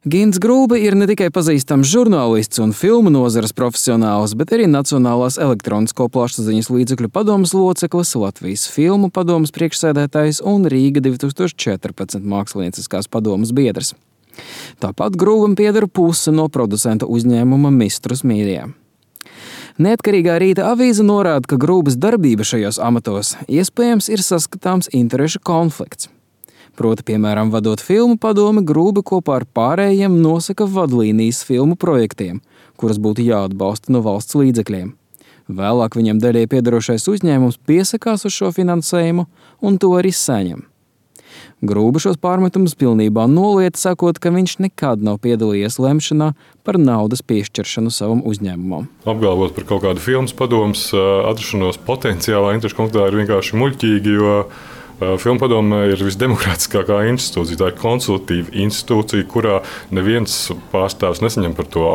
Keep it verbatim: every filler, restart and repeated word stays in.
Gints Grūbe ir ne tikai pazīstams žurnālists un filmu nozares profesionāls, bet arī Nacionālās elektronisko plašsaziņas līdzekļu padomes loceklis, Latvijas filmu padomes priekšsēdētājs un Rīga divi tūkstoši četrpadsmit mākslinieckās padomes biedrs. Tāpat Grūbam pieder puse no producenta uzņēmuma Mistrus Media. Neatkarīgā Rīta avīze norāda, ka Grūbas darbība šajos amatos iespējams ir saskatāms interešu konflikts. Proti, piemēram, vadot filmu padomi, Grūbe kopā ar pārējiem nosaka vadlīnijas filmu projektiem, kuras būtu jāatbalsta no valsts līdzekļiem. Vēlāk viņam daļai piederošais uzņēmums piesakās uz šo finansējumu un to arī saņem. Grūbe šos pārmetumus pilnībā noliedz, sakot, ka viņš nekad nav piedalījies lemšanā par naudas piešķiršanu savam uzņēmumam. Apgalvot par kaut kādu filmas padomes atrašanos potenciālā interešu konfliktā ir vienkārši muļķīgi, jo Filmu padome ir visdemokrātiskākā institūcija. Tā ir konsultatīva institūcija, kurā neviens pārstāvs nesaņem par to